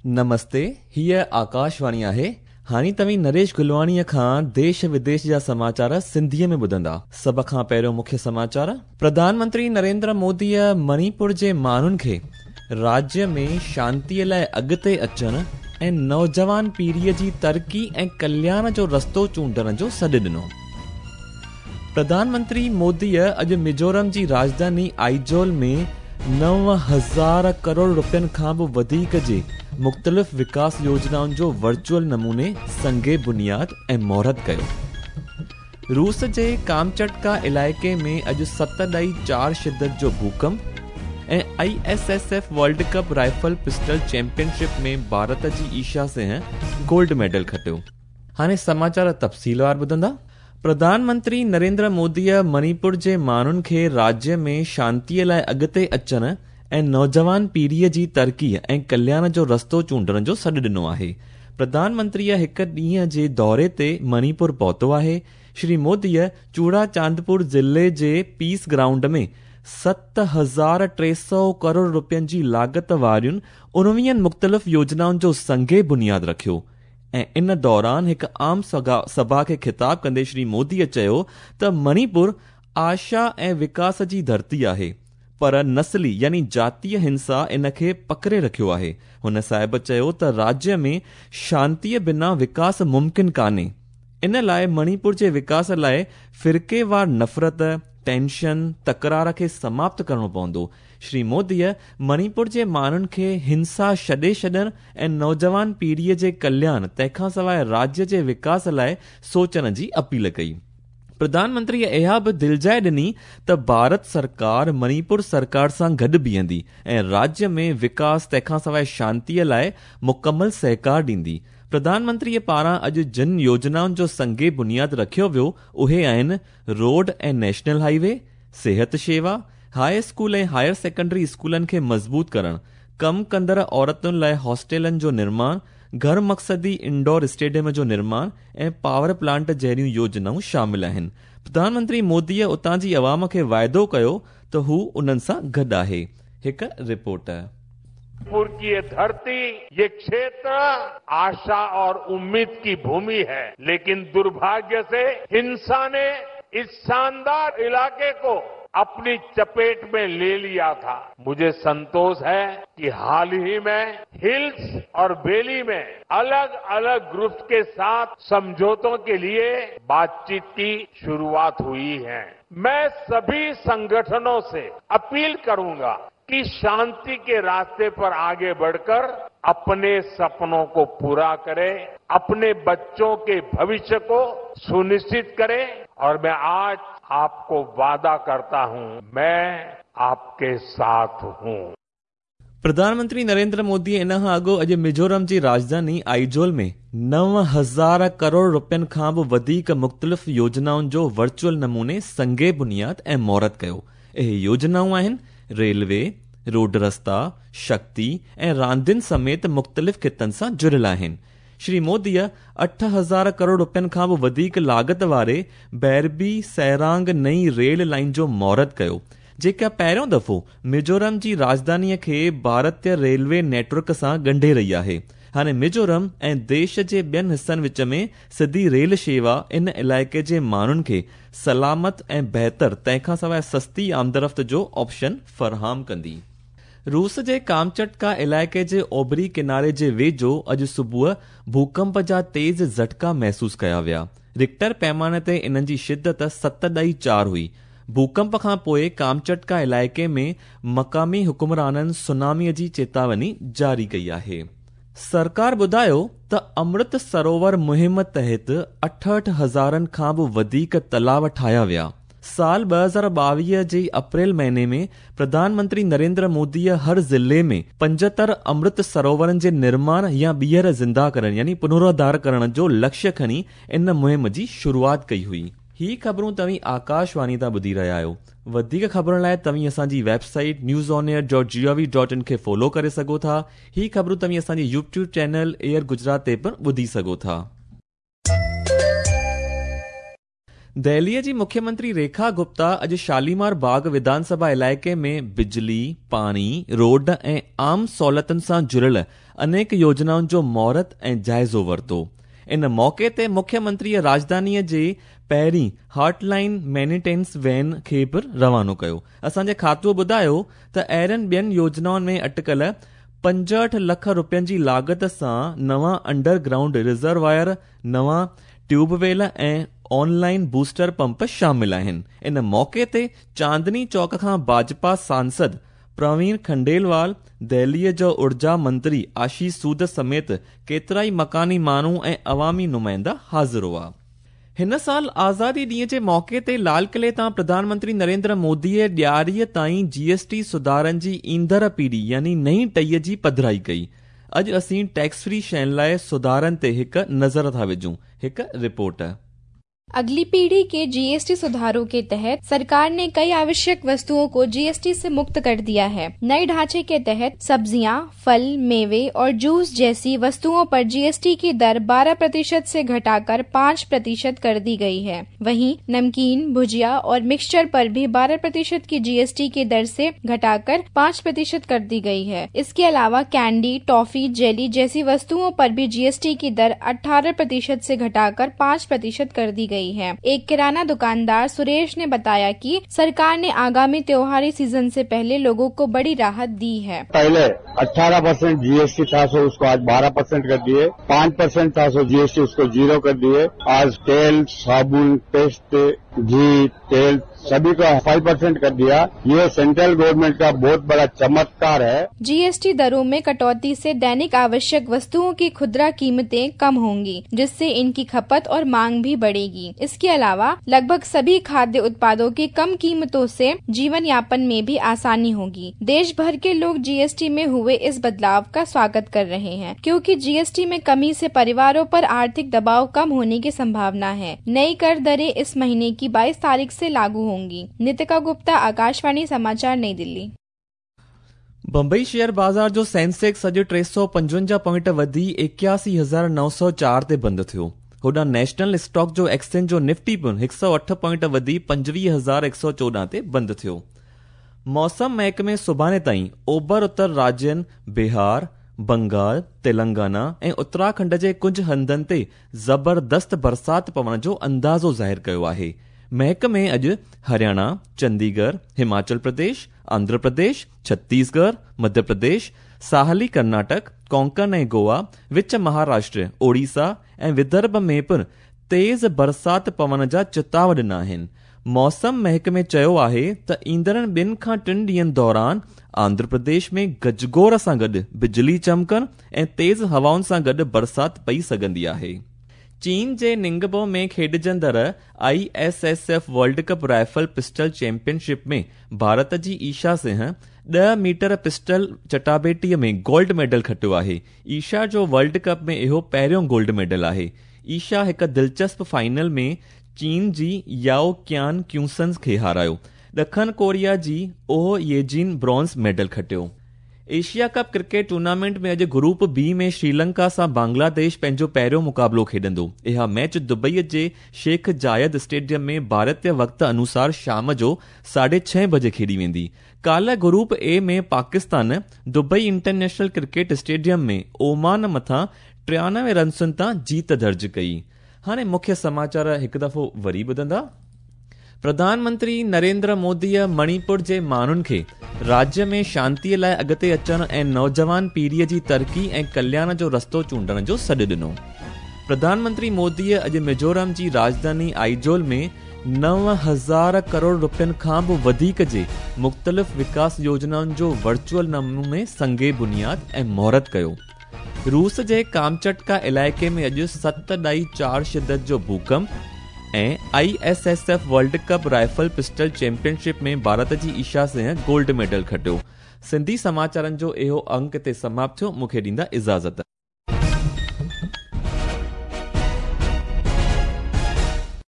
نمستي، هيء آڪاشواڻي آهي. هاڻي توهين نريش گلواڻيء کان ديش وديش جا سماچار سنڌيء ۾ ٻڌندا. سڀ کان پهريون مکيه سماچار. پرڌان منتري نريندر موديء مڻيپور جي ماڻهن کي راجيه ۾ شانتيء لاء اڳتي اچڻ ۽ نوجوان پيڙهيء جي ترقي ۽ ڪلياڻ جو رستو چونڊڻ جو سڏ ڏنو. پرڌان منتري موديء اڄ ميزورم جي راڄڌاني آئيزول ۾ 9000 ڪروڙ رپين کان به وڌيڪ جي مختلف وڪاس يوجنائن جو ورچوئل نموني سنگ بنياد ۽ مهورت ڪيو. روس جي ڪامچٽڪا علائقي ۾ اڄ 7.4 شدت جو ڀوڪمپ ۽ I S S F world cup rifle pistol championship ۾ Bharat جي ايشا سنگهه گولڊ ميڊل کٽيو. هاڻي سماچار تفصيلوار ٻڌندا. پرڌان منتري نريندر موديء مڻيپور جي ماڻهن کي راجيه ۾ شانتيء لاء اڳتي اچڻ ۽ نوجوان پيڙهيء جي ترقي ۽ ڪلياڻ جو رستو چونڊڻ جو سڏ ڏنو آهي. پرڌان منتريء هڪ ڏينهن جي دوري تي مڻيپور پهتو آهي. شري موديء چوڙا چاندپور ضلعي جي پيس گرائونڊ ۾ 7300 ڪروڙ رپين جي لاڳت وارين 19 مختلف يوجنائن جو سنگ بنياد رکيو ۽ ان دوران هڪ عام سڀا کي خطاب ڪندي شري موديء چيو ته مڻيپور آشا ۽ وڪاس جي ڌرتي آهي، پر نسلي يعني جاتيه هنسا ان کي پڪڙي رکيو آهي. هن صاحب چيو ته راجيه ۾ شانتيء بنا وڪاس ممڪن ڪانهي. ان لاء مڻيپور جي وڪاس لاء فرقيوار نفرت، ٽينشن، تڪرار کي سماپت ڪرڻو پوندو. شري موديء مڻيپور جي ماڻهن کي هنسا ڇڏي ڇڏڻ ۽ نوجوان پيڙهيء جي ڪلياڻ تنهن کان سواء راجيه جي وڪاس لاء سوچڻ جي اپيل ڪئي. پرڌان منتريء اها به دلجاء ڏني ته ڀارت سرڪار مڻيپور سرڪار سان گڏ بيهندي ۽ راجيه ۾ وڪاس تنهن کان سواء شانتيء لاء مڪمل سهڪار ڏيندي. پرڌان منتريء پاران اڄ جن يوجنائن جو سنگ بنياد رکيو ويو اهي آهن روڊ ۽ نيشنل هائي وي، صحت شيوا، هاء اسڪول ۽ هائر سيڪنڊري اسڪولن کي مضبوط ڪرڻ، ڪم ڪندڙ عورتن لاء هاسٽلن جو نرماڻ، گهر مقصدي انڊور اسٽيڊيم جو نرماڻ ۽ پاور پلانٽ جهڙيون يوجنائون شامل آهن. پرڌان منتري موديء اتان جي عوام کي واعدو ڪيو ته هو انهن سان گڏ آهي. هڪ رپورٽ. मणिपुर की ये धरती, ये क्षेत्र आशा और उम्मीद की भूमि है, लेकिन दुर्भाग्य से हिंसा ने इस शानदार इलाके को अपनी चपेट में ले लिया था। मुझे संतोष है कि हाल ही में हिल्स और वैली में अलग-अलग ग्रुप्स के साथ समझौतों के लिए बातचीत की शुरुआत हुई है। मैं सभी संगठनों से अपील करूंगा कि शांति के रास्ते पर आगे बढ़कर अपने सपनों को पूरा करें, अपने बच्चों के भविष्य को सुनिश्चित करें और मैं आज आपको वादा करता हूं, मैं आपके साथ हूं। प्रधानमंत्री नरेंद्र मोदी इन खां अॻु अॼु मिज़ोरम जी राजधानी आइजोल में 9000 करोड़ रुपयनि खां बि वधीक मुख़्तलिफ़ योजनाउनि जो वर्चुअल नमूने संगे बुनियाद ऐं मुहूर्त कयो। इहे योजनाऊं आहिनि रेलवे, रोड रस्ता, शक्ति ऐं रांदियुनि समेत मुख़्तलिफ़ खितनि सां जुड़ियल आहिनि। श्री मोदीअ 8000 करोड़ रुपयनि खां बि वधीक लागत वारे बैरबी सैरांग नई रेल लाइन जो मुहूर्त कयो, जेका पहिरियों दफ़ो मिज़ोरम जी राजधानीअ खे भारतीय रेलवे नेटवर्क सां ॻंढे रही आहे। हाणे मिज़ोरम ऐं देश जे ॿियनि हिसनि विच में सिधी रेल शेवा इन इलाइक़े जे माण्हुनि खे सलामत ऐं बहितर तंहिंखां सवाइ सस्ती आमदरफ़्त जो ऑप्शन फराहम कंदी। रूस जे कामचटका इलाइक़े जे ओभरी किनारे जे वेझो अॼु सुबुह भूकंप जा तेज़ झटका महसूस कया विया। रिक्टर पैमाने ते इन्हनि जी शिदत 7.4 हुई। भूकंप खां पोइ कामचटका इलाइक़े में मक़ामी हुकुमराननि सुनामीअ जी चेतावनी जारी कई आहे। सरकार ॿुधायो त अमृत सरोवर मुहिम तहत 68 हज़ारनि खां बि वधीक तलाव ठाहिया विया। साल 2022 जे अप्रैल महीने में प्रधानमंत्री नरेंद्र मोदीअ हर ज़िले में 75 अमृत सरोवरनि जे निर्माण या ॿीहर ज़िंदा करण यानी पुनरुद्धार करण जो लक्ष्य खणी इन मुहिम जी शुरुआत कई हुई। ही ख़बरूं तव्हीं आकाशवाणी तां ॿुधी रहिया आहियो। वधीक ख़बरुनि लाइ तव्हीं असांजी website news on air dot G O V dot in खे फॉलो करे सघो था। ही ख़बरूं तव्हीं असांजी यूट्यूब चैनल एयर गुजरात ते पिणु ॿुधी सघो था। دهليء جي مکيه منتري ريکا گپتا اڄ شاليمار باغ وڌان سڀا علائقي ۾ بجلي، پاڻي، روڊ ۽ عام سهولتن سان جڙيل انيڪ يوجنائن جو مهورت ۽ جائزو ورتو. ان موقعي تي مکيه منتريء راڄڌانيء جي پهرين هاٽ لائين مينيٽينس وين کي به روانو ڪيو. اسان جي کاتوء ٻڌايو ته اهڙين ٻين يوجنائن ۾ اٽڪل 65 لک رپين جي لاڳت سان نوان انڊر گرائونڊ ريزروائر، نوان tube well ۽ online booster pump شامل آهن. ان موقعي تي چاندني چوڪ کان ڀاجپا سانسد پروين کنڊيلوال، دهليء جو اورجا منتري آشيش سود سميت ڪيترائي مڪاني ماڻهو ۽ عوامي نمائندا حاضر هئا. هن سال آزادي ڏينهن جي موقعي تي لال قلعي تان پرڌان منتري نريندر موديء ڏياريء تائين جي ايس ٽي سڌارن جي ايندڙ پيڙهي يعني نئين ٽهيء جي پڌرائي ڪئي. اڄ اسين ٽيڪس فري شين لاء سڌارن تي هڪ نظر ٿا وجهون. هڪ رپورٽ. अगली पीढ़ी के जीएसटी सुधारों के तहत सरकार ने कई आवश्यक वस्तुओं को जीएसटी से मुक्त कर दिया है। नए ढांचे के तहत सब्जियां, फल, मेवे और जूस जैसी वस्तुओं पर जीएसटी की दर 12% से घटाकर 5% कर दी गई है। वहीं नमकीन, भुजिया और मिक्सचर पर भी 12% की जीएसटी की दर से घटाकर 5% कर दी गई है। इसके अलावा कैंडी, टॉफी, जेली जैसी वस्तुओं पर भी जीएसटी की दर 18% से घटाकर 5% कर दी गई है। एक किराना दुकानदार सुरेश ने बताया कि सरकार ने आगामी त्योहारी सीजन से पहले लोगों को बड़ी राहत दी है। पहले 18% जीएसटी था सो उसको आज 12% कर दिए, 5% था सो जीएसटी उसको 0 कर दिए। आज तेल, साबुन, पेस्ट, घी, तेल सभी को 5% कर दिया। ये सेंट्रल गवर्नमेंट का बहुत बड़ा चमत्कार है। जीएसटी दरों में कटौती से दैनिक आवश्यक वस्तुओं की खुदरा कीमतें कम होंगी, जिससे इनकी खपत और मांग भी बढ़ेगी। इसके अलावा लगभग सभी खाद्य उत्पादों की कम कीमतों से जीवन यापन में भी आसानी होगी। देश भर के लोग जीएसटी में हुए इस बदलाव का स्वागत कर रहे हैं, क्योंकि जीएसटी में कमी से परिवारों पर आर्थिक दबाव कम होने की संभावना है। नई कर दरें इस महीने की 22 तारीख से लागू होंगी। नितिका गुप्ता, आकाशवाणी समाचार, नई दिल्ली। बम्बई शेयर बाज़ार जो सेंसेक्स अॼु 355 पॉइंट वधी 81,904 ते बंदि थियो। होॾां नेशनल स्टॉक जो एक्सचेंज जो निफ्टी पिणु 108 पॉइंट वधी 25,114 ते बंदि थियो। मौसम महकमे सुभाणे ताईं ओभर उत्तर राज्यनि बिहार, बंगाल, तेलंगाना ऐं उत्तराखंड जे कुझु हंधनि ते ज़बरदस्त बरसात पवण जो अंदाज़ो ज़ाहिर कयो आहे। महकमे अॼु हरियाणा, चंडीगढ़, हिमाचल प्रदेश, आंध्र प्रदेश, छत्तीसगढ़, मध्य प्रदेश, साहली कर्नाटक, कोंकण ऐं गोवा, विच महाराष्ट्र, ओडिशा ऐं विदर्भ में पिणु तेज़ बरसात पवण जा चिताव ॾिना आहिनि। मौसम महकमे चयो आहे त ईंदड़ 2 खां 3 ॾींहंनि दौरान आंध्र प्रदेश में गजगोर सां गॾु बिजली चमकण ऐं तेज़ हवाउनि सां गॾु बरसात पई सघंदी आहे। चीन जे निंगबो में खेॾिजंदड़ ISSF world cup rifle pistol championship में भारत जी ईशा सिंह 10 मीटर पिस्टल चटाबेटीअ में गोल्ड मेडल खटियो आहे। ईशा जो वर्ल्ड कप में इहो पहिरियों गोल्ड मेडल आहे। ईशा हिकु दिलचस्प फाइनल में चीन जी याओ क्यान क्यूसन्स खे हारायो। ॾखण कोरिया जी ओह येजिन ब्रॉन्ज़ मेडल खटियो। एशिया कप क्रिकेट टूर्नामेंट में अॼु ग्रुप बी में श्रीलंका सां बांग्लादेश पंहिंजो पहिरियों मुक़ाबिलो खेॾंदो। इहा मैच दुबईअ जे शेख जायद स्टेडियम में भारतीय वक़्त अनुसार शाम जो 6:30 बजे खेॾी वेंदी। काल्ह group A ۾ Pakistan Dubai international cricket stadium में ओमान मथां 93 रन्सुनि तां जीत दर्ज कई। हाणे मुख्य समाचार हिकु दफ़ो वरी ॿुधंदा। प्रधानमंत्री नरेंद्र मोदीअ मणिपुर जे माण्हुनि खे राज्य में शांतीअ लाइ अॻिते अचण ऐं नौजवान पीढ़ीअ जी तरक़ी ऐं कल्याण जो रस्तो चूंडण जो सॾु ॾिनो। प्रधानमंत्री मोदीअ अॼु मिज़ोरम जी राजधानी आइजोल में 9,000 करोड़ रुपयनि खां बि वधीक जे मुख़्तलिफ़ विकास योजनाउनि जो वर्चुअल नमूने संगे बुनियाद ऐं मुहूर्त कयो। रूस जे कामचटका इलाइक़े में अॼु 7.4 शिदत जो भूकंप ऐं ISSF world cup rifle pistol championship में भारत जी ईशा सिंह गोल्ड मेडल खटियो। सिंधी समाचारनि जो इहो अंक हिते समाप्त थियो। मूंखे ॾींदा इजाज़त।